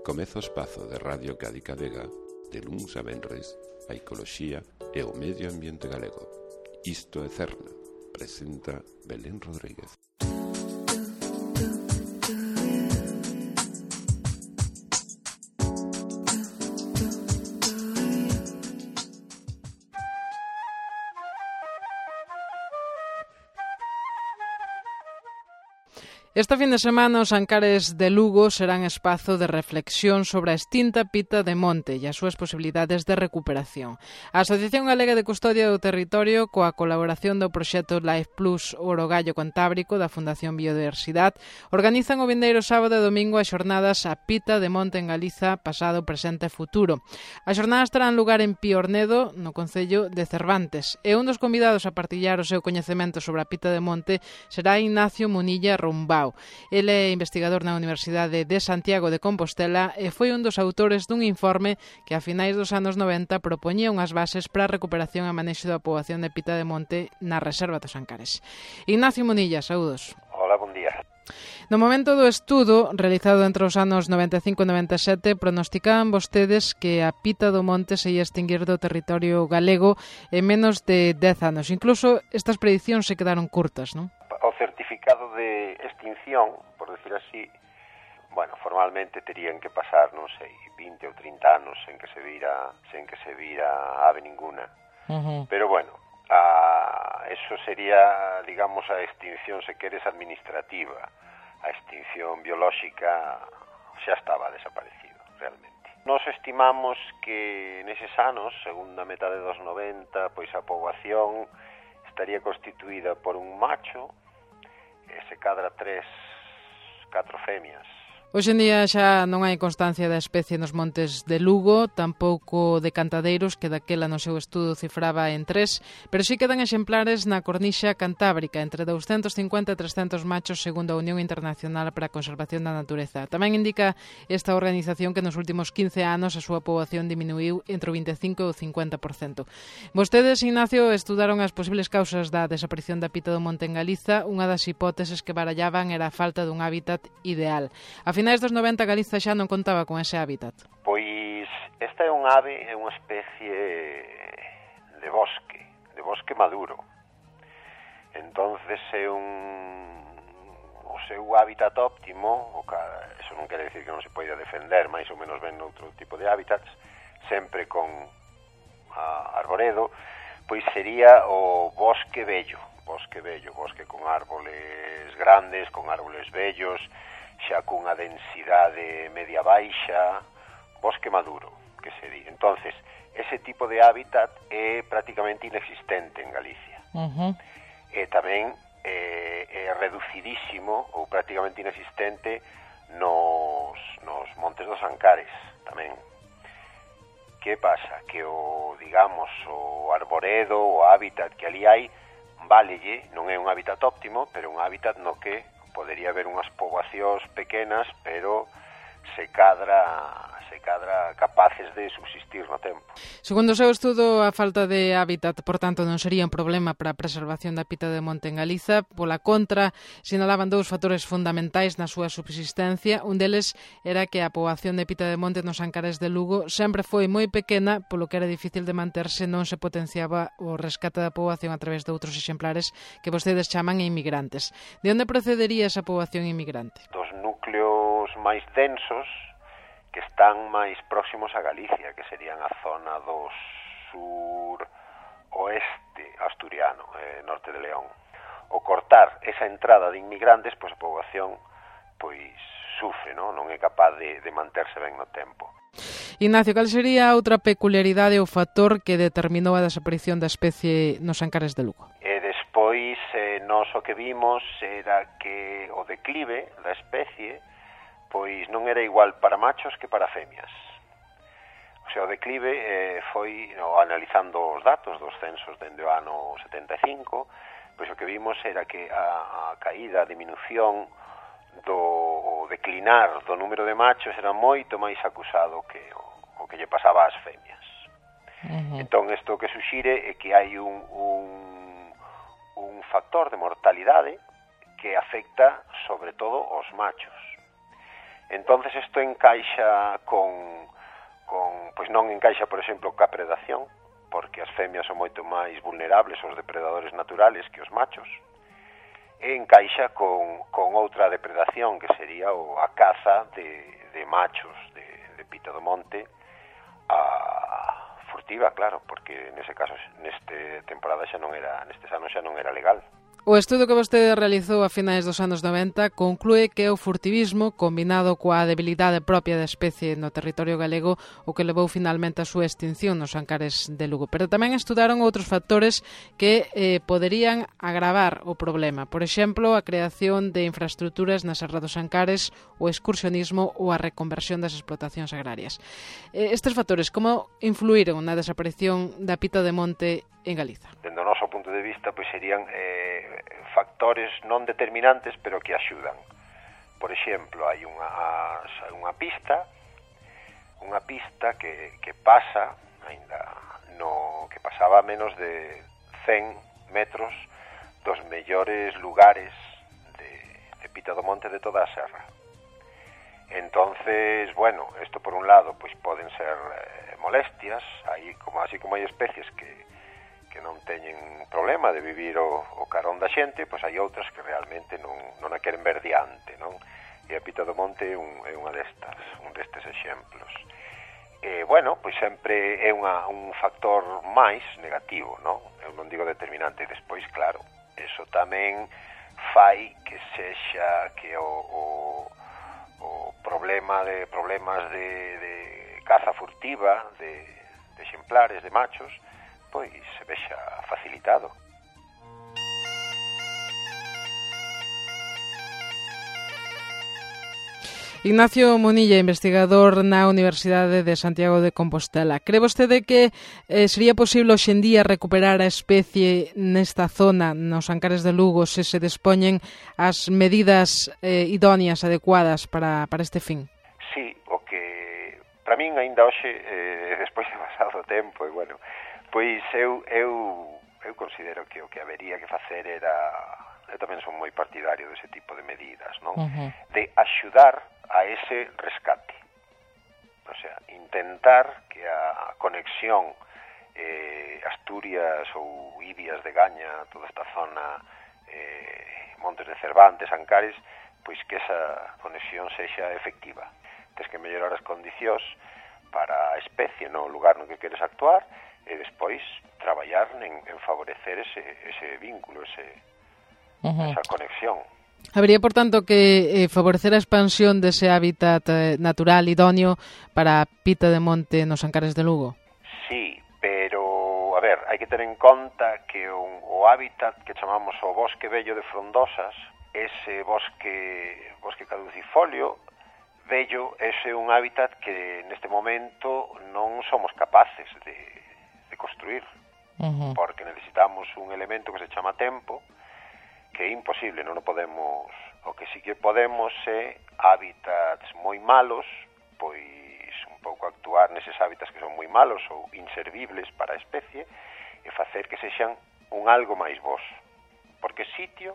Comeza o espazo de Radio Cádiz Vega, de luns a venres, a ecoloxía e o medio ambiente galego. Isto é Cerna, presenta Belén Rodríguez. Esta fin de semana os Ancares de Lugo serán espazo de reflexión sobre a extinta pita de monte e as súas posibilidades de recuperación. A Asociación Galega de Custodia do Territorio, coa colaboración do proxecto Life Plus Orogallo Cantábrico da Fundación Biodiversidade, organizan o vindeiro sábado e domingo as xornadas A Pita de Monte en Galiza, pasado, presente e futuro. As xornadas terán lugar en Piornedo, no concello de Cervantes, e un dos convidados a partillar o seu coñecemento sobre a pita de monte será Ignacio Munilla Rumbao. Ele é investigador na Universidade de Santiago de Compostela e foi un dos autores dun informe que a finais dos anos 90 propoñía unhas bases para a recuperación e manexo da poboación de pita de monte na Reserva dos Ancares. Ignacio Munilla, saúdos. Hola, bon día. No momento do estudo, realizado entre os anos 95 e 97, pronosticaban vostedes que a pita do monte se ia extinguir do territorio galego en menos de 10 anos. Incluso estas predicións se quedaron curtas, non? O certificado de extinción, por decir así, bueno, formalmente terían que pasar, non sei, 20 ou 30 anos sen que se vira ave ninguna. Pero bueno, eso sería, digamos, a extinción, se queres, administrativa. A extinción biolóxica xa estaba desaparecido, realmente. Nos estimamos que neses anos, segunda metade dos 90, pois a poboación estaría constituída por un macho e se cadra 4 femias. Hoxe en día xa non hai constancia da especie nos montes de Lugo, tampouco de cantadeiros, que daquela no seu estudo cifraba en 3, pero sí quedan exemplares na cornixa cantábrica, entre 250 e 300 machos, segundo a Unión Internacional para a Conservación da Natureza. Tamén indica esta organización que nos últimos 15 anos a súa poboación diminuiu entre o 25 e o 50%. Vostedes, Ignacio, estudaron as posibles causas da desaparición da pita do monte en Galiza. Unha das hipóteses que barallaban era a falta dun hábitat ideal. A finais dos 90 Galiza xa non contaba con ese hábitat. Pois esta é un ave, é unha especie de bosque maduro. Entonces é o seu hábitat óptimo, eso non quere decir que non se poida defender máis ou menos ben noutro tipo de hábitats, sempre con arboredo, pois sería o bosque bello, bosque con árboles grandes, con árboles bellos, xa cunha densidade media baixa, bosque maduro, que sería. Entonces, ese tipo de hábitat é prácticamente inexistente en Galicia. E tamén é reducidísimo ou prácticamente inexistente nos montes dos Ancares, tamén. Que pasa? Que o arboredo, o hábitat que ali hai, válelle, non é un hábitat óptimo, pero un hábitat no que podería haber unhas poboacións pequenas, pero se cadra capaces de subsistir no tempo. Segundo o seu estudo, a falta de hábitat, por tanto, non sería un problema para a preservación da pita de monte en Galiza. Pola contra, sinalaban dous factores fundamentais na súa subsistencia. Un deles era que a poboación de pita de monte nos Ancares de Lugo sempre foi moi pequena, polo que era difícil de manterse, non se potenciaba o rescate da poboación a través de outros exemplares que vostedes chaman inmigrantes. De onde procedería esa poboación inmigrante? Dos núcleos máis densos, que están máis próximos a Galicia, que serían a zona do sur-oeste asturiano, norte de León. O cortar esa entrada de inmigrantes, pois a poboación sufre, non é capaz de manterse ben no tempo. Ignacio, cal sería outra peculiaridade ou factor que determinou a desaparición da especie nos Ancares de Lugo? E despois, nós o que vimos era que o declive da especie pois non era igual para machos que para femias. O sea, o declive foi, analizando os datos dos censos dende o ano 75, pois o que vimos era que a caída, a diminución do declinar do número de machos era moito máis acusado que o que lle pasaba ás femias. Entón, isto que suxire é que hai un factor de mortalidade que afecta sobre todo aos machos. Entonces isto encaixa pois non encaixa, por exemplo, ca predación, porque as femias son moito máis vulnerables aos depredadores naturales que os machos, e encaixa con outra depredación, que sería a caza de machos de pita do monte, a furtiva, claro, porque nese caso, neste temporada nestes anos xa non era legal. O estudo que vostede realizou a finais dos anos 90 conclúe que o furtivismo, combinado coa debilidade propia da especie no territorio galego, o que levou finalmente a súa extinción nos Ancares de Lugo. Pero tamén estudaron outros factores que poderían agravar o problema. Por exemplo, a creación de infraestructuras na Serra dos Ancares, o excursionismo ou a reconversión das explotacións agrarias. Estes factores, como influíron na desaparición da pita de monte en Galiza? Dende o noso punto de vista, pois serían factores non determinantes, pero que axudan. Por exemplo, hai unha pista que pasa, que pasaba a menos de 100 metros dos mellores lugares de pita do monte de toda a serra. Entonces, bueno, isto por un lado, pois poden ser molestias, así como hai especies que non teñen problema de vivir o carón da xente, pois hai outras que realmente non a queren ver diante, non? E a pita do monte é un destes exemplos. Bueno, pois sempre é un factor máis negativo, non? Eu non digo determinante. Despois, claro, eso tamén fai que sexa que o problemas de caza furtiva de exemplares, de machos, pois se vexa facilitado. Ignacio Munilla, investigador na Universidade de Santiago de Compostela. Cree vostede que sería posible hoxe en día recuperar a especie nesta zona, nos Ancares de Lugo, se se dispoñen as medidas idóneas, adecuadas para este fin? Sí, o que para min ainda hoxe, despois de pasado o tempo, e bueno, pois eu considero que o que habería que facer era, eu tamén son moi partidario dese tipo de medidas, non? De axudar a ese rescate. O sea, intentar que a conexión Asturias ou Ibias de Gaña, toda esta zona, Montes de Cervantes, Ancares, pois que esa conexión sexa efectiva. Tens que mellorar as condicións para a especie no lugar no que queres actuar, e despois traballar en favorecer ese vínculo, esa conexión. Habería, por tanto, que favorecer a expansión dese hábitat natural idóneo para a pita de monte nos Ancares de Lugo? Sí, pero, a ver, hai que ter en conta que o hábitat que chamamos o bosque vello de frondosas, ese bosque caducifolio vello, ese é un hábitat que neste momento non somos capaces de construir, porque necesitamos un elemento que se chama tempo, que é imposible, non o podemos. O que sí que podemos é hábitats moi malos, pois un pouco actuar neses hábitats que son moi malos ou inservibles para a especie e facer que sexan un algo máis bos, porque sitio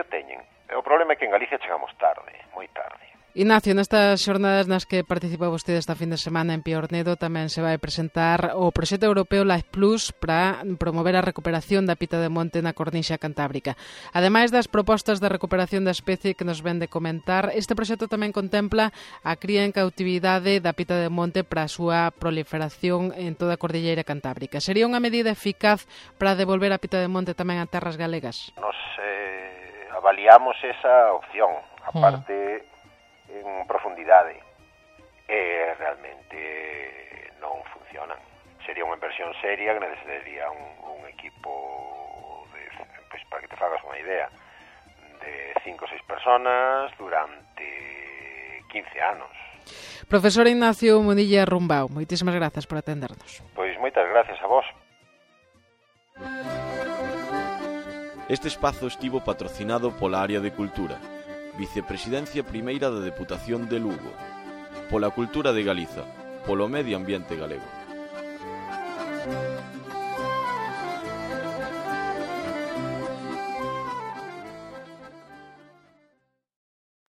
teñen. O problema é que en Galicia chegamos tarde, moi tarde. Ignacio, nestas xornadas nas que participa vostede esta fin de semana en Piornedo tamén se vai presentar o proxecto europeo Life Plus para promover a recuperación da pita de monte na cornixa cantábrica. Ademais das propostas de recuperación da especie que nos ven de comentar, este proxecto tamén contempla a cría en cautividade da pita de monte para a súa proliferación en toda a cordilleira cantábrica. Sería unha medida eficaz para devolver a pita de monte tamén a terras galegas? Nos avaliamos esa opción, aparte en profundidade, e realmente non funcionan. Sería unha inversión seria que necesitaría un equipo pois, para que te fagas unha idea, de 5 ou 6 personas durante 15 anos. Profesor Ignacio Munilla Rumbao, moitísimas grazas por atendernos. Pois moitas gracias a vos. Este espazo estivo patrocinado pola Área de Cultura, Vicepresidencia Primeira da Deputación de Lugo, pola Cultura de Galiza, polo Medio Ambiente Galego.